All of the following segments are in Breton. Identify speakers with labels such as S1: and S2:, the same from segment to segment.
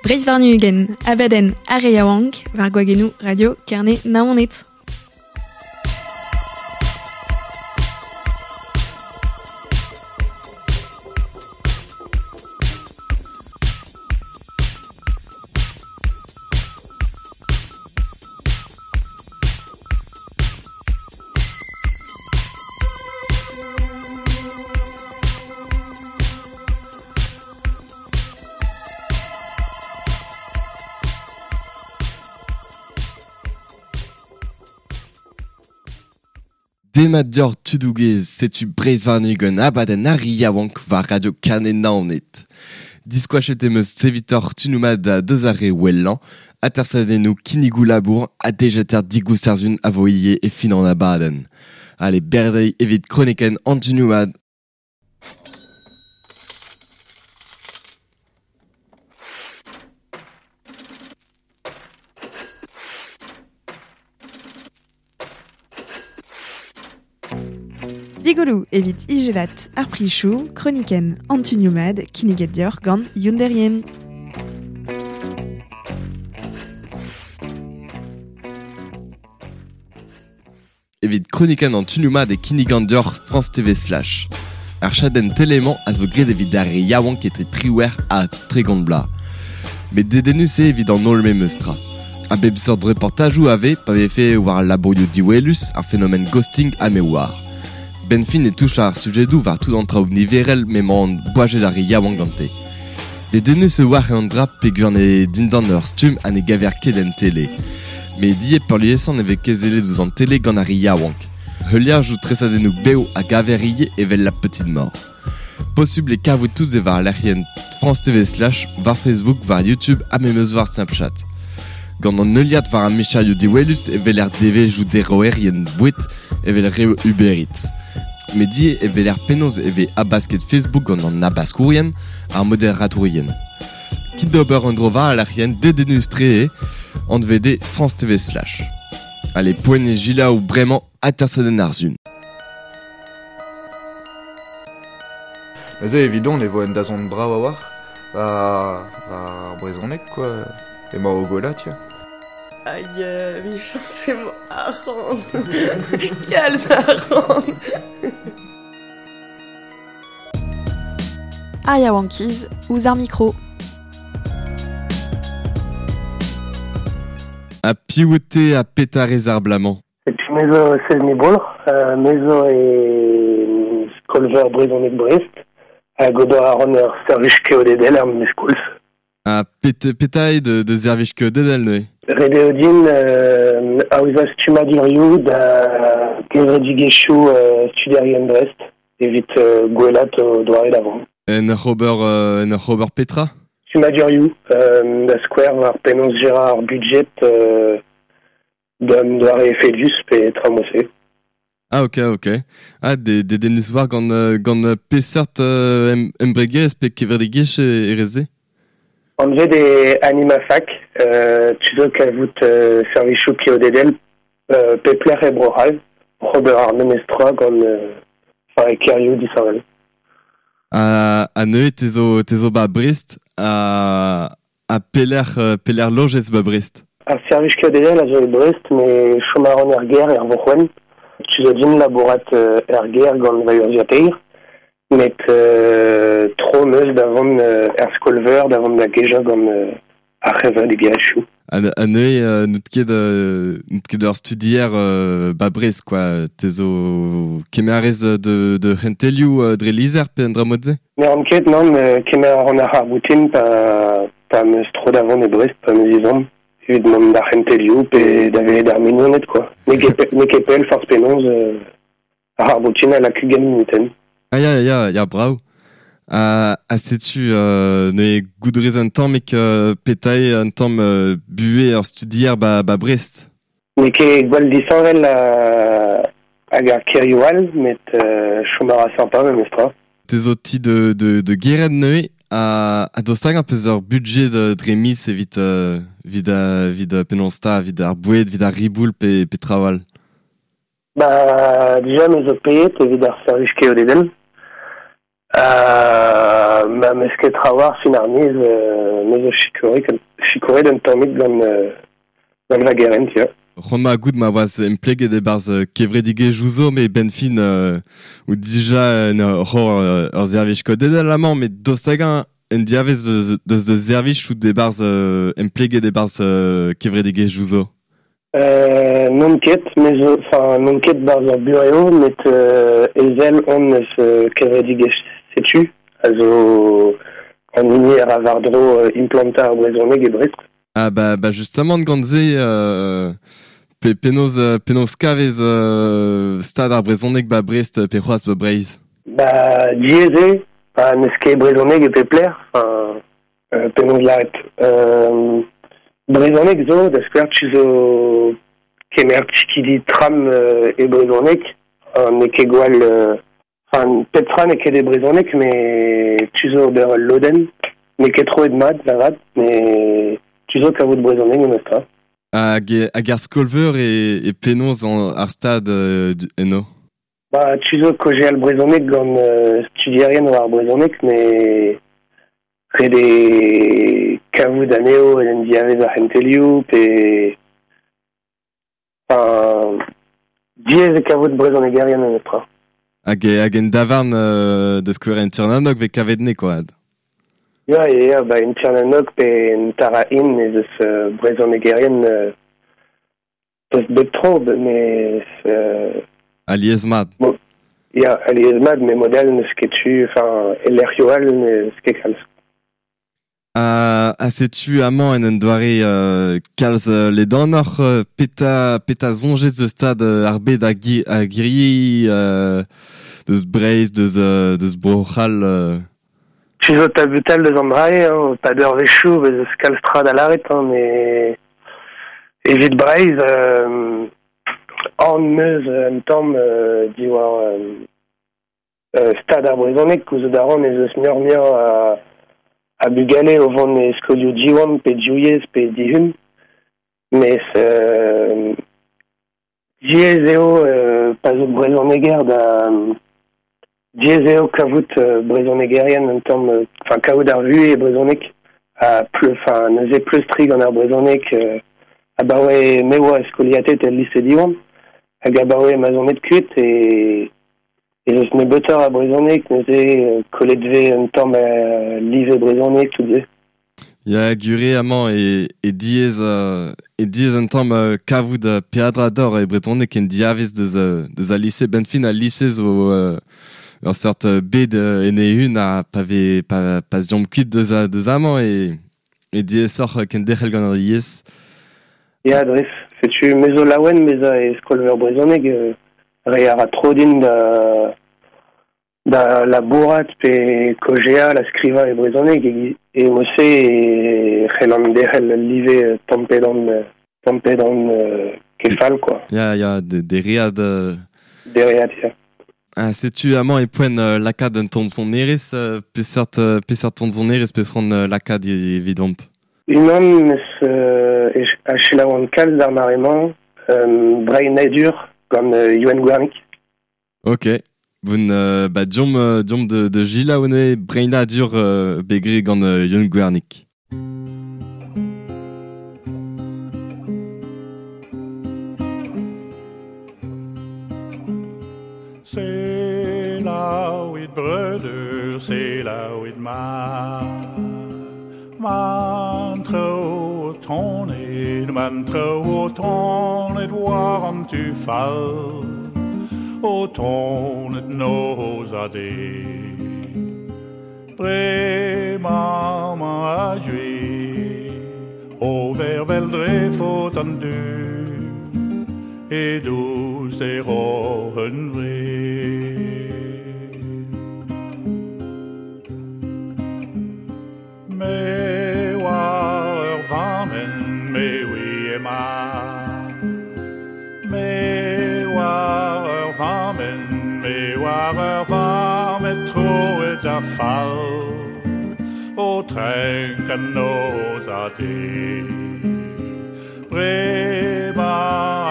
S1: Breizh warn-ugent, abadenn ar re yaouank, war gwagennoù Radio Kerne Naoned.
S2: Demat deoc'h tudoù gaezh, setu Breizh warn-ugent abadenn ar re yaouank war Radio Kerne Naoned. Diskoachet em eus evitoc'h tunoù mat deus ar re wellañ, atersadennoù kinnigoù labour ha dejeter digoustarzhun a vo ivez e fin an abadenn. Ale berdeiñ evit kronikenn an tunoù mat.
S1: Digoloù evit ijelat ar prichoù, kronikenn an tunioù mat kinniget deoc'h gant Youn Derrien.
S2: Evit kronikenn an tunioù mat e kinnigan deoc'h France TV Slash. Ar chadenn tele-mañ a zo graet evit ar re yaouank etre triwec'h ha 30 bloaz. Met dedennus eo evit an holl memes tra. A bep seurt reportajoù a vez pa vefe war al labourioù diwelus, ar fenomen ghosting ha me oar. Benn fin e touch ar sujedoù war tout an traoù niverel m'emañ boajet ar re yaouank gante. Dedennus e oar an dra peogwir n'eo dindan ur stumm ha ne gaver ket en tele. Met ivez peurliesañ ne vez ket sellet ouzh an tele gant ar re yaouank. Heuliajoù tresadennoù bev a gaver ivez evel La Petite Mort. Posubl eo kavout tout se war lec'hienn France TV Slash, war Facebook, war YouTube ha memes war Snapchat. Gant an heuliad war ar micherioù diwelus e weler devezhioù deroerien boued evel reoù Uber Eats. Met ivez e weler penaos e vez habasket Facebook gant an habaskourien, ar moderatourien. Kit d'ober un dro war al lec'hienn dedennus-tre eo, anvet eo France TV Slash. Allez, poent eo gilaou bremañ atersadenn ar sun.
S3: Neuze evidon e vo un dazont brav a-walc'h war ar brezhoneg quoi. Emañ o gwellañ tiens.
S4: Hag emichañs emañ arc'hant. Kalz arc'hant.
S1: Ar yaouankiz ouzh ar mikro.
S2: Ha piv out-te ha petra rez ar bloaz-mañ?
S5: Setu me zo Sezni Boulc'h, me zo e skol-veur brezhoneg Brest hag ober a ran ur servij keodedel er memes koulz.
S2: Ha petra eo da servij keodedel neuze?
S5: Ret eo din aozañ stummadurioù da gevredigezhioù studierien Brest evit gwellaat o doare da vont.
S2: En ur ober, en ur ober petra?
S5: Stummadurioù, da skouer war penaos gerañ ar budjed d'un doare efedus pe tra mod-se.
S2: Ah ok, ok. Ah, dedennus war gant, gant peseurt embregerezh pe kevredigezh e rez-se?
S5: Anvet eo Animafac, tu zo kavout servijoù keodedel pep lec'h e Bro-C'hall, oc'h ober ar memes tra gant enfin, e kêrioù disheñvel.
S2: Ha neuze te zo, te zo ba Brest ha pelec'h, pelec'h lojez ba Brest?
S5: Ar servij keodedel a zo e Brest, met chom a ran er gêr er Vourc'hwenn. Tu zo din labourat er gêr gant va urzhiataer, met tro 'm eus da vont er skol-veur, da vont da gejañ gant ar c'hevredigezhioù.
S2: Ha neuze n'out ket n'out ket ur studier ba Brest quoi. Te zo kemer a rez de c'hentelioù dre lizher pe un dra mod-se?
S5: Ne ran ket, nann, kemer a ran ar c'harr-boutin pa pa 'm eus tro da vont e Brest, pa 'm eus ezhomm evit mont d'ar c'hentelioù pe da welet ar mignoned quoi. N'eo ket n'eo ket pell forzh penaos ar c'harr-boutin a lak ugent munutenn.
S2: Ah ya, ya, ya, brav. Ha setu neuze goudrez un tammig petra eo un tamm buhez ur studier ba, ba Brest.
S5: N'eo ket gwall disheñvel hag ar kêrioù all, met chom a ra sympa memestra.
S2: Te zo ti de, de, de gerent neuze ha dost hag peus ur budget dre miz evit, evit, evit penaos 'ta, evit ar boued, evit ar riboul pe, pe traoù all?
S5: Ba, dija me zo paeet evit ar servij keodedel. Ma meus ket trawar fin ar miz, me zo sikouret un tammig gant va gerent, ya.
S2: C'hoant ma gout ma oaz empleget e-barzh kevredigezhioù zo, met ben fin ou dija en ur servij kodedel amañ, met dost hag-eñ en diavez deus deus servij out e-barzh empleget e-barzh kevredigezhioù zo?
S5: Non ket, me zo, enfin, non ket barzh ur burev, met ezel on eus kevredigezh setu, a zo an hini a ra war-dro implantañ ar brezhoneg e Brest.
S2: Ah bah justement gant se penaos kavez stad ar brezhoneg ba Brest pe c'hoazh ba Breizh?
S5: Ba diaes eo, pa n'eus ket brezhoneg e pep lec'h, enfin penaos lâret. Brezhoneg zo, da skouer tu zo kemer tikidi tram e brezhoneg, n'eo ket gwall... Enfin, pep tra n'eo ket e brezhoneg, met tu zo ober ul lodenn, n'eo ket troet mat, avat, met tu zo kavout brezhoneg memestra.
S2: Hag ar skolveur e penaos ar stad eno?
S5: Ba, tu zo kaozeal brezhoneg gant studierien war ar brezhoneg, met ret eo kavout anezho en diavez ar c'hentelioù, pe... Enfin, diaes eo kavout brezhonegerien memestra.
S2: Hag en davarn da skouer en Tirnanok vez kavet ne koad?
S5: Ya, ya, ba en Tirnanok pe en Tara-In ez eus brezhonegerien tost bep tro, mais...
S2: Alies mat.
S5: Bon, ya, alies mat, met model n'eus ket tu, enfin, e lec'hioù all n'eus ket kalz.
S2: Ha setu amañ en un doare kalz ledanoc'h peta soñjez deus stad ar bed a giri deus Breizh, deus Bro-C'hall.
S5: Tu zo tabutal deus an drae, hein, pa d'ur vechoù, bez eus kalz tra da lâret, hein, met evit Breizh, an meus un tamm diwar stad ar brezhoneg, gouzout a ran ez eus muioc'h-muioc'h a bugale o vont e skolioù Diwan pe Diouyez pe Dihun, mes diaes eo pa zo brezhoneger da diaes eo kavout brezhonegerien un tamm, enfin kavout ar vuhez e brezhoneg, ha enfin neuze pleustri gant ar brezhoneg abaoe me oa skoliatet el lise Diwan, hag abaoe ma zon et kuit e ez eus nebeutoc'h a brezhoneg, neuze kollet vez un tamm live brezhoneg tout se.
S2: Ya, gure amañ e diaes un tamm kavout peadra d'or e brezhoneg en diavez deus al lise. Ben fin al lise zo ur seurt bed en e-un ha pa vez pa zjomp kuit deus amañ e diaesoc'h kenderc'hel gant ar yezh.
S5: Ya, dres, setu me zo laouen bezañ e skolveur brezhoneg, re a ra tro din da labourat pe kaozeal ha skrivañ e brezhoneg e mod-se e c'hellan derc'hel ul live tamm-pe-damm kefal, quoi.
S2: Ya, ya, dereat...
S5: Dereat, ya.
S2: Ah, setu amañ e poent lakaat un tamm sonerezh, peseurt tamm sonerezh peseurt lakaat evidomp?
S5: Unan eus a selaouan kalz d'ar mare-mañ, Breinadur gant Youenn Gwernig.
S2: Ok. Bon, ba diomp de Gilles Breinadur begre gant Youenn Gwernig.
S6: C'est là où it breudeur, c'est là où it ma. Man tro tonet, man tro tonet war an tu fall. O tonet noz a de. Bre maman a jue, o vervel dre faot an du, e douz de rohen vre. Me oa ur vammen, me oui e ma. Me oa ur vammen, me oa ur vammen troet a fall. O trenk an noz a de. Brema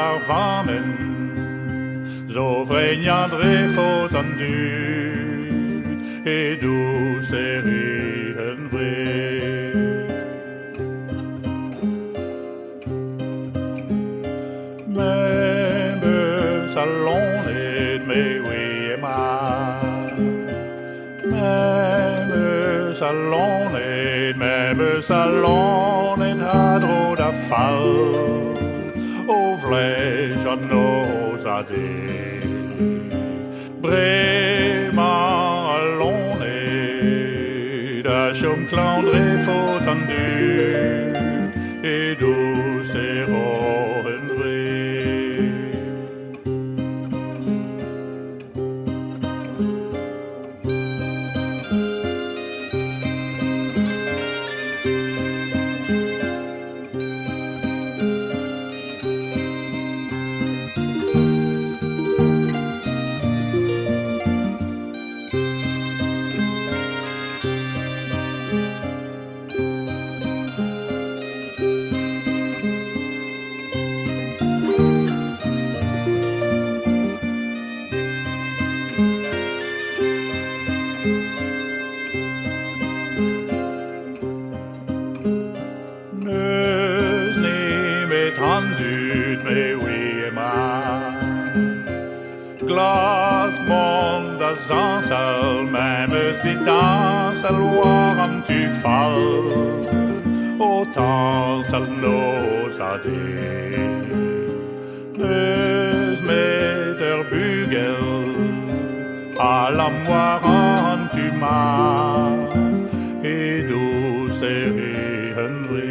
S6: ar vammen, zo vreignan dre faot an dud, E dous e en vre. Me beus a lonet me oui ema. Me beus a lonet, me beus a lonet a dro da fall. O vlej an noz a de. Bremañ a lonet a chom klañv dre faot an dud e dous e roen vre. Neus nemet an dud me oui ema. Glas mont da zañsal, mem eus dit dañsal war an tu fall. O tañsal noz a de. Neus met ur bugel, a lam war an tu ma. E dous e en vre.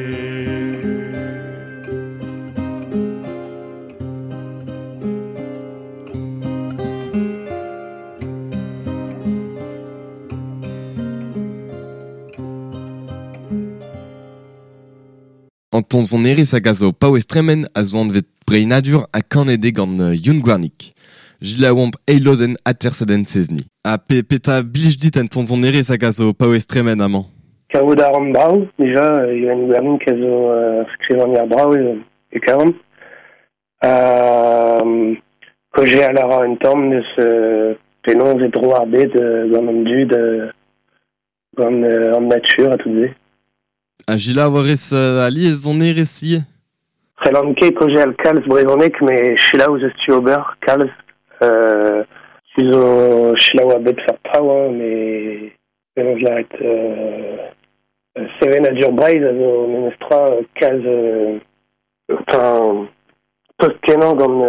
S2: An ton sonerezh hag a zo paouez tremen a zo anvet breinadur ha kanede gant Youn Gwernig. Jilaouamp eilodenn atersadenn sezni. Ha pe petra blij dit an ton sonerezh hag a zo paouez tremen amañ?
S5: Kavout a ran brav, dija, Youn Gwernig a zo skrivagner brav e kavan. Kaozeal a ra un tamm neus penaos e dro ar bed gant an dud, gant an natur ha tout se.
S2: Ha Gila warez alies sonerezh ivez?
S5: C'hellan ket kaozeal kalz brezhoneg, met selaou eus tu ober kalz. Tu zo selaou a bep seurt traoù, hein, met penaos lâret sevenadur Breizh a zo memestra kalz enfin, tost kenañ gant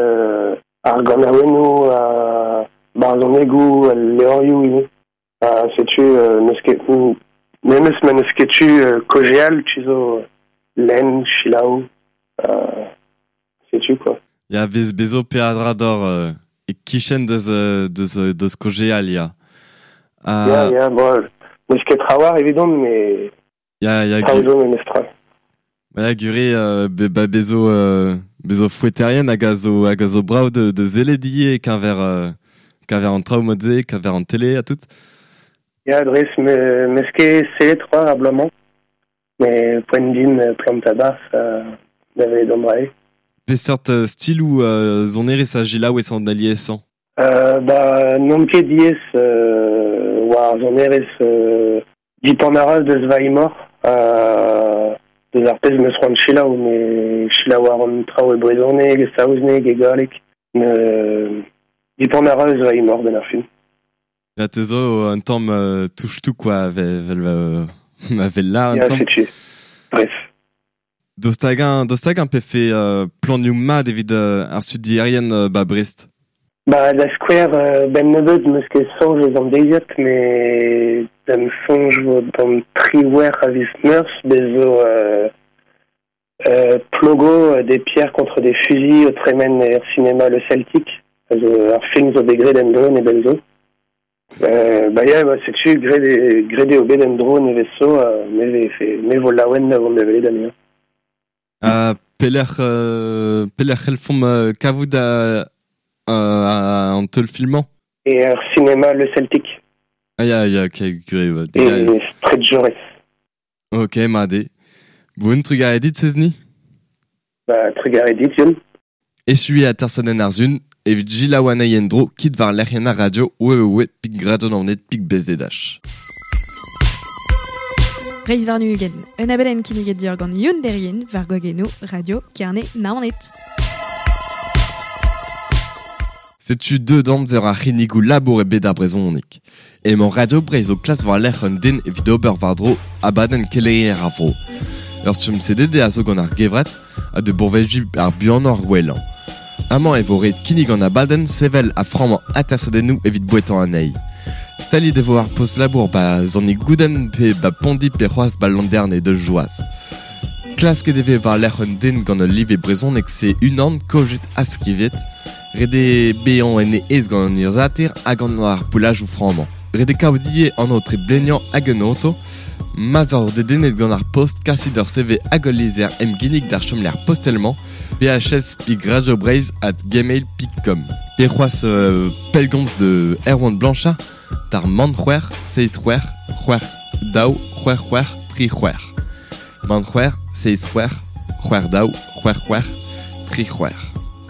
S5: ar ganaouennoù, ar barzhonegoù, al levrioù ivez. Ha setu n'eus ket memes ma n'eus ket tu kaozeal, tu zo lenn, selaou, setu quoi.
S2: Ya vez bezo peadra d'or e kichen deus deus deus kaozeal, ya.
S5: Ya, ya, bon, n'eus ket trawar evidon, mais
S2: Ya, ya,
S5: traoù zo memestra.
S2: Ba ya, gure be, ba bezo bezo foueterien hag a zo hag a zo brav de sellet ivez keñver keñver an traoù mod-se, keñver an tele ha tout.
S5: Ya, dres, me meus ket sellet c'hoazh ar bloaz-mañ, mais poent din plantañ barzh da welet an dra-se.
S2: Peseurt stiloù sonerezh a selaouez an aliesañ?
S5: Ba n'on ket diaes war sonerezh dipant a ra deus va imor, deus ar pezh meus c'hoant selaou, met selaou a ran traoù e brezhoneg, e saozneg, e galleg. Dipant a ra eus va imor benn ar fin.
S2: Ya te zo un tamm touche-tout quoi, vel ma vel là un
S5: Ya,
S2: tamm.
S5: setu. Bref.
S2: Daoust hag-eñ pefe planioù mat evit ar studierien ba Brest?
S5: Ba, da skouer ben nebeut meus ket soñj eus an deiziad, met da'm soñj vo d'an triwec'h a viz Meurzh, bez zo Plogo des pierres contre des fusils o tremen er cinéma Le Celtic, a zo ar film zo bet graet en-dro nebell zo. Ba ya, ba, setu graet eo bet en-dro nevez zo, me vo laouen da vont da welet anezhañ.
S2: Ha pelec'h c'hellfomp kavout an teulfilm-mañ?
S5: E ar cinéma Le Celtic.
S2: Ah ya, ya, ok, gure, ba,
S5: E
S2: digarez.
S5: Stret Jaurès.
S2: Ok, mat eo. Bon, trugarez dit, Sezni?
S5: Ba, trugarez dit, Youn.
S2: Echu eo atersadenn ar sun, Evit selaou anezhi en-dro, kit war lec'hienn ar radio www.radionaoned.bzh.
S1: Breizh warn-ugent, un abadenn kinniget deoc'h gant Youn Derrien war gwagennoù Radio Kerne Naoned.
S2: Setu deuet amzer ar c'hinnigoù labour e bed ar brezhoneg. Emañ Radio Breizh o klask war-lerc'h un den evit ober war-dro abadenn keleier ar vro. Ur stumm CDD a zo gant ar gevrat ha da bourveziñ ar buanañ ar wellañ. Amañ e vo ret kinnig an abadenn sevel ha frammañ atersadennoù evit bouetañ anezhi. Staliet e vo ar post-labour 'ba Sant-Nigouden pe 'ba Pondi pe c'hoazh 'ba Landerne deus Joaz. Klasket e vez war-lerc'h un den gant ul live brezhoneg C1 kozhet ha skrivet. Ret eo bezañ en e aes gant an urzhiataer ha gant ar poellajoù frammañ. Ret eo kaout ivez an aotre bleniañ hag un oto. Ma'z oc'h dedennet gant ar post, kasit ur CV hag ul lizher emginnig d'ar chomlec'h postel-mañ phs.radiobreizh@gmail.com pe c'hoazh pellgomz de Erwan Blanchard d'ar man c'hwec'h seizh c'hwec'h c'hwec'h daou c'hwec'h c'hwec'h tri c'hwec'h man c'hwec'h seizh c'hwec'h c'hwec'h daou c'hwec'h c'hwec'h tri c'hwec'h.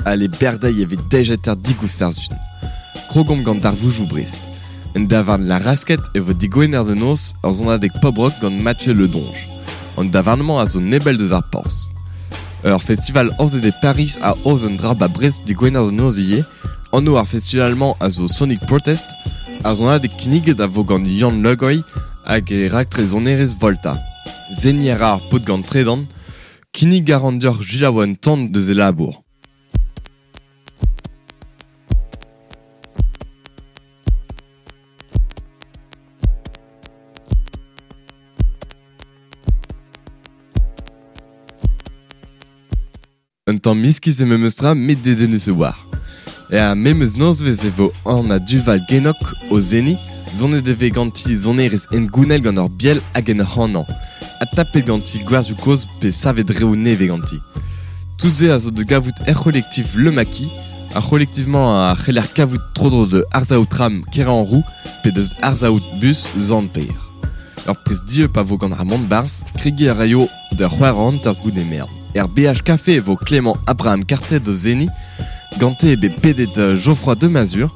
S2: Ale berdeiñ evit dejeter digoust ar sun. Krogomp gant darvoudoù Brest. En davarn La Rasquette e vo digwener da noz ur sonadeg pop-rock gant Mathieu Le Donge. An davarn-mañ a zo nebell deus ar porzh. Ur festival aozet e Pariz a aoz un dra 'ba Brest digwener da noz ivez. Anv ar festival-mañ a zo Sonic Protest. Ar sonadeg kinniget a vo gant Yann Le Goy hag e raktres sonerezh Volta. Seniñ a ra ar paotr gant tredan. Kinnig a ran deoc'h selaou un tamm deus e labour. Un tamm iskis eo memes tra met dedennus a-walc'h. Er memes nozvezh e vo Anna Duval Genok o seniñ, sonet e vez ganti sonerezh hengounel gant ur biel hag en ur c'hanañ, ha tapet ganti gwerzioù kozh pe savet reoù nevez ganti. Tout se a zo da gavout er c'holektif Le Maquis, ar c'holektif-mañ a c'heller kavout tro-dro da arsav tram Keranroux pe deus arsav bus Sant-Pêr. Ur priz dieub a vo gant ar mont-barzh, kregiñ a raio Da c'hwec'h hanter goude merenn. Er BH Café e vo Clément Abraham Cartet o seniñ. Gante eo bet pedet Geoffroy de Masure,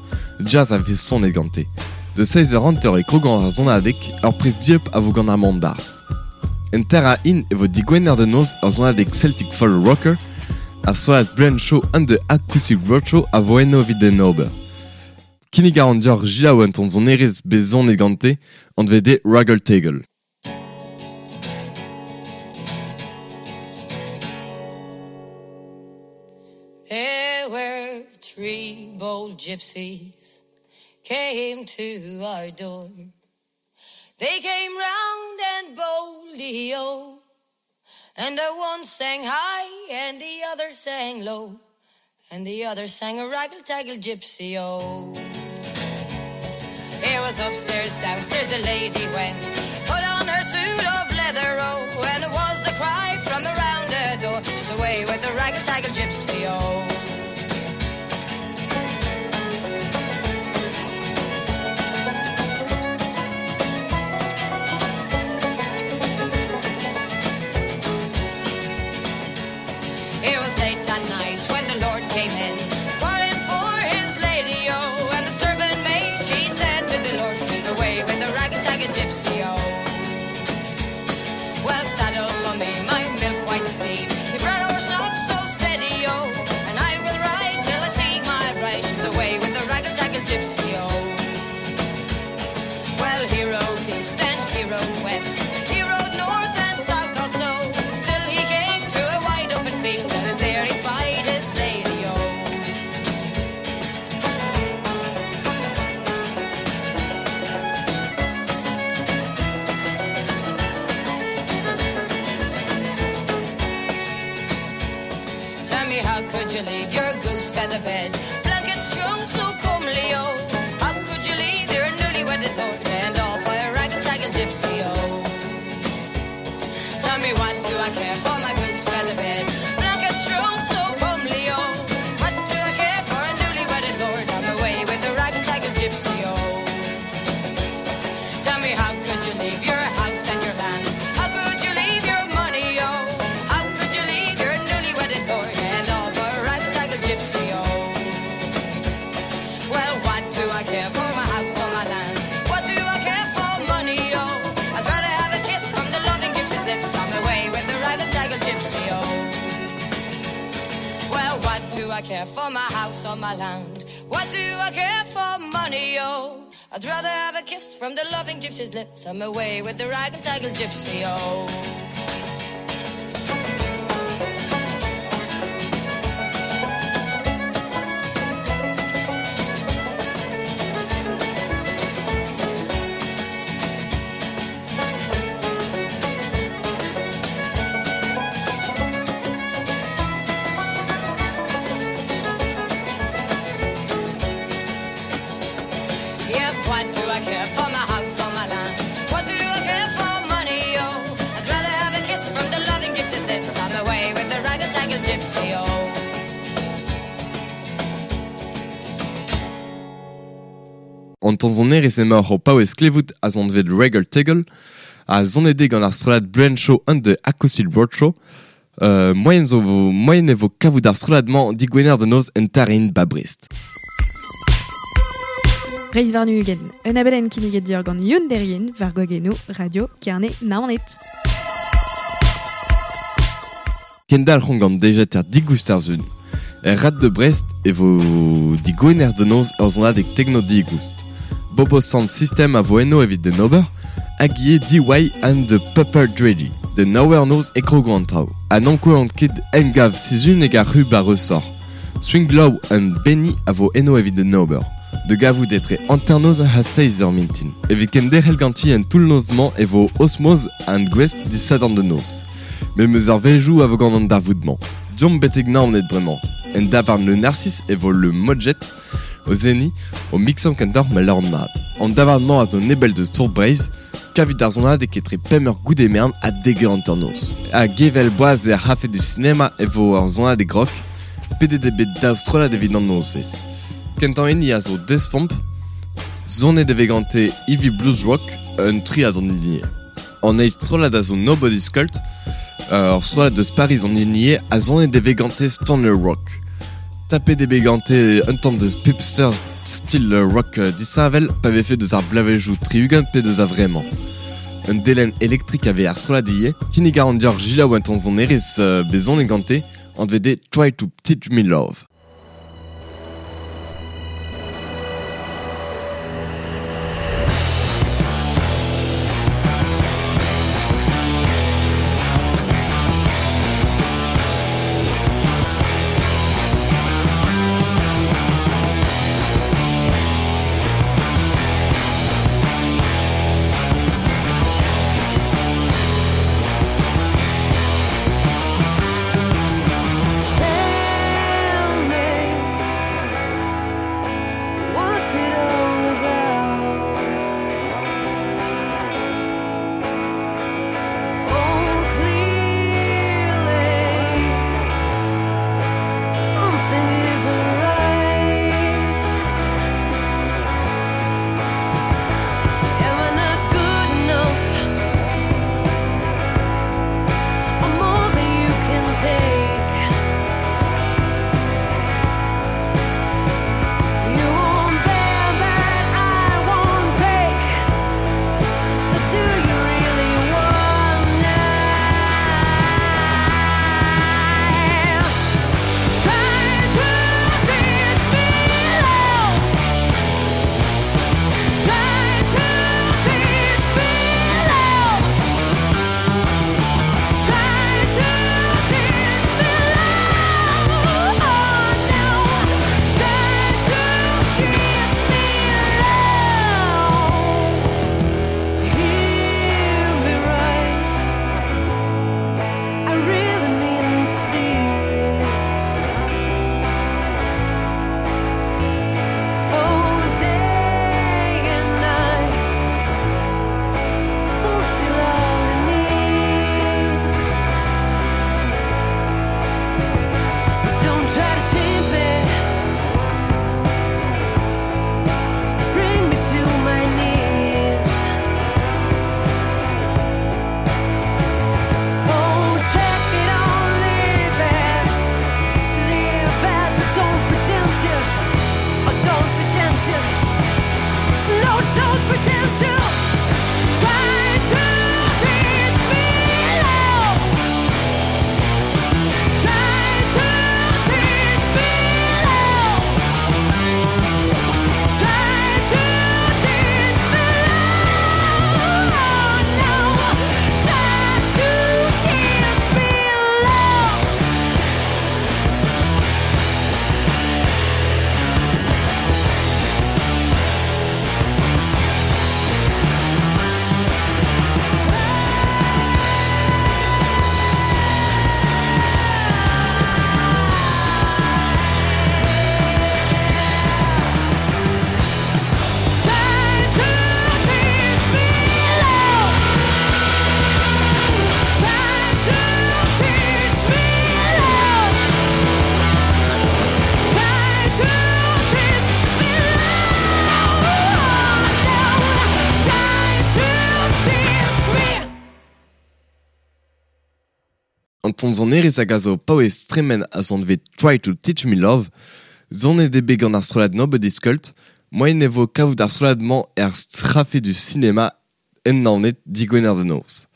S2: jazz a vez sonet gante. Da seizh eur hanter e krogañ ar sonadeg, ur priz dieub a vo gant ar mont-barzh. En Terra In e vo digwener da noz ur sonadeg Celtic Folk Rocker. Ar strollad Brand Show and the Acoustic Roadshow a vo eno evit en ober. Kinnig a ran deoc'h selaou un tamm sonerezh bet sonet gante, anvet eo Raggle Taggle.
S7: There were three bold gypsies came to our door. They came round and boldly, oh, and the one sang high and the other sang low, and the other sang a raggle-taggle gypsy, oh. It was upstairs, downstairs the lady went, put on her suit of leather, oh, and it was a cry from around the door, she's away with the raggle-taggle gypsy, oh. It was late at night when the Lord came in, quarreling for his lady, oh, and the servant maid, she said to the Lord, she's away with the ragtag gypsy, oh. Well, saddle for me my milk white steed, he bred horse not so steady, oh, and I will ride till I see my bride, she's away with the ragtag gypsy, oh. Well, he rode east and he rode west, he rode north and south also, till he came to a wide open field, and as there he spied his lady, oh. Tell me how could you leave your goose feather bed, blankets strewn so comely, oh? How could you leave your newly wedded lord and all for a ragtag gypsy, oh? Tell me what do I care for my goose feather bed, blankets strewn so comely, oh? What do I care for a newly wedded lord? I'm away with the ragtag gypsy, oh. Tell me how could you leave your house and your land? How could you leave your money, oh? How could you leave your newly wedded lord and all for a ragtag gypsy, oh? I care for my house or my land? What do I care for money, oh? I'd rather have a kiss from the loving gypsy's lips. I'm away with the rag-and-taggle gypsy, oh. Yeah, what do I care for my house or my land? What do I care for money, oh? I'd rather have a kiss from the loving gypsy's lips. I'm away with the rag-and-tangle gypsy, oh.
S2: An tanzonerez emaoc'h o paouez klevout a zon vet Regal Tegel, a zonede gant ar strollad Brand Show and the Acoustic Roadshow. Moyen zo vo, moyen e vo kavout ar strollad-mañ digwener da noz en tarin ba Brest.
S1: Reiz warn-ugent, un abadenn kinniget deoc'h gant Youn Derrien war gwagennoù Radio Kerne Naoned.
S2: Kendalc'homp gant dejeter digoust ar zun. Er rad de Brest e vo digwener da noz ur zonadeg tekno digoust. Bobo Sound System a vo eno evit den ober, hag ivez DY and the Pepper Dreddy, de Nowhere Noz e krogo an traoù. An ankoan ket emgav sizhun hag ar rub a ressort. Swing Low and Benny a vo eno evit den ober. De gavout etre hanternoz ha seizh eur mintin. Evit kenderc'hel ganti en toull-noz-mañ e vo Osmoz and Gwest disadorn de noz. Met meus ar vezioù a vo gant an darvoud-mañ. Diomp betek Naoned bremañ. En davarn le Narcisse e vo le Modjet o zeni o mixan kentoc'h ma lâran mat. An davarn-mañ a zo nebell deus Tour Breizh, kavit ar zonadeg etre pemp eur goude mern ha dek eur hanternoz. Ha gevel boaz er c'hafe du sinema e vo ur zonadeg rock, pedet eo bet daou strollad evit an nozvezh. Kentañ hini a zo Desfomp, zonet e vez gante Heavy Blues Rock, un triad an hini. An eil strollad a zo Nobody's Cult, ur strollad deus Paris an hini a zonet e vez gante Stoner Rock. Tapet eo bet gante un tamm deus pipster style rock disheñvel pa vefe deus ar blavezhioù tri-ugent pe deus a-vremañ. Un delenn elektrik a vez ar strollad ivez, kinnig a ran deoc'h Gilaou un tamm sonerezh bet zonet gante, anvet eo Try to Teach Me Love.
S8: Tell me
S2: An ton zonerez hag a zo paouez tremen a zon vet Try to Teach Me Love, zonet eo bet gant ar strollad Nobody's Cult, moaien e vo kavout ar strollad-mañ er strafe du sinema en Naoned digwener da noz.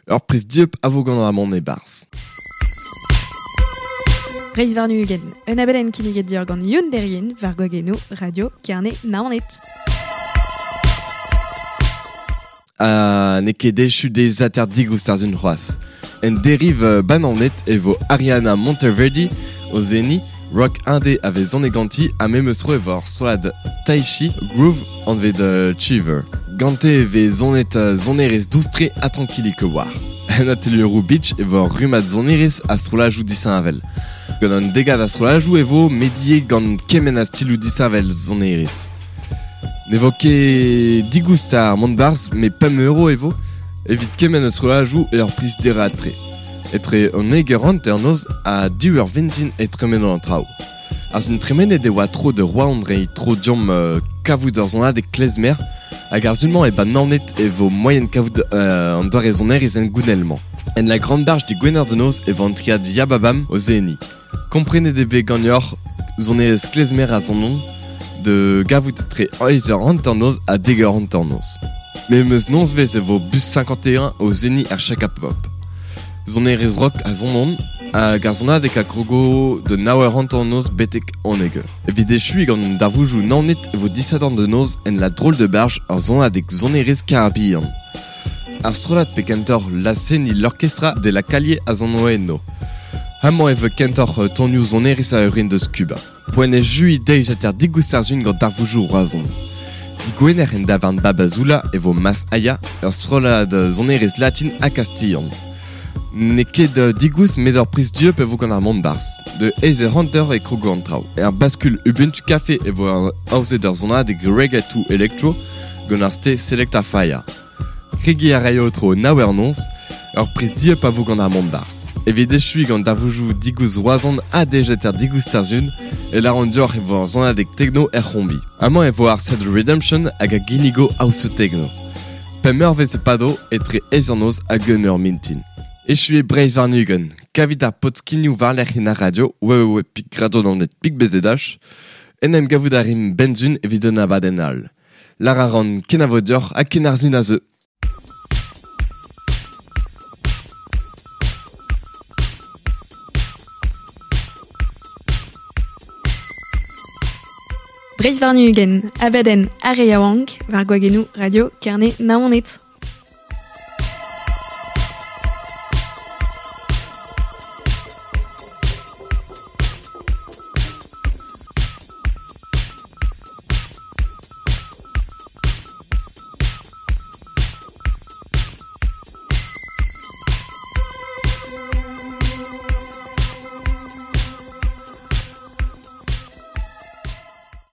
S2: Ur priz dieub a vo gant ar mont e-barzh.
S1: Breizh warn-ugent, un abadenn kinniget deoc'h gant Youn Derrien war gwagennoù Radio Kerne Naoned.
S2: Ha n'eo ket echu deiziataer digoust ar sun c'hoazh. En deriv Banaoned e vo Ariana Monteverdi o seniñ rock indé a vez sonet ganti ha memes tro e vo ar strollad Taichi Groove anvet Chiver. Gante e vez sonet sonerezh dous-tre ha trankilik war. En atelieroù Beach e vo ur rummad sonerezh ha strollajoù disheñvel. Gant an degad a strollajoù e vo mediet gant kement a stiloù disheñvel sonerezh. Ne vo ket digoust ar mont barzh met 5 € e vo evit kement a strollajoù e ur priz dereat-tre. Etre an eur hanternoz ha div eur vintin e tremeno an traoù. Ar sun tremenet e oa tro de Roazhon reiñ tro deomp kavout ur sonadeg klezmer hag ar sun-mañ e ba Naoned e vo moaien kavout an doare sonerezh hengounel-mañ. En la Grande Barge du Gwener de noz e vo an triad Yababam o seniñ. Komprenet eo bet ganeoc'h sonerezh klezmer a sonont de gavout etre eizh eur hanternoz ha dek eur hanternoz. Memes nozvezh e vo Bus 51 o seniñ er Chaka Pop. Sonerezh rock a sonont hag ar sonadeg a krogo de nav eur hanternoz betek unnek eur. Evit echuiñ gant darvoudoù Naoned e vo disadorn da noz en la Drôle de Barge ur sonadeg sonerezh karabihan. Ar strollad pe kentoc'h laz-seniñ l'Orchestra de la Calle a sono eno. Amañ e vo kentoc'h tonioù sonerezh a orin deus Kuba. Poent echuiñ deiziataer digoust ar sun gant darvoudoù Roazhon. Digwener en davarn Babazoula e vo Mas Aya, ur strollad sonerezh latin ha kastilhan. N'eo ket digoust met ur priz dieub e vo gant ar mont barzh. De eizh eur hanter e krogo an traoù. Er Bascule Ubuntu Café e vo aozet ur sonadeg reggae to electro gant ar ste Selecta Fire. Kregiñ a raio tro nav eur noz, ur priz dieub a vo gant ar mont barzh. Evit echuiñ gant darvoudoù digoust Roazhon ha deiziataer digoust ar sun, e lâran deoc'h e vo ur sonadeg techno er c'hombi. Amañ e vo ar set Redemption hag a ginnigo house techno. Pemp eurvezh e pado etre eizh an noz hag un eur mintin. Echu eo Breizh warn-ugent. Kavit ar podskignoù war-lerc'h en ar radio www.radionaoned.bzh. En em gavout a rimp benzun evit un abadenn all. Lâr a ran kenavo deoc'h ha ken ar sun a zeu.
S1: Breizh warn-ugent, abadenn ar re yaouank war gwagennoù Radio Kerne Naoned.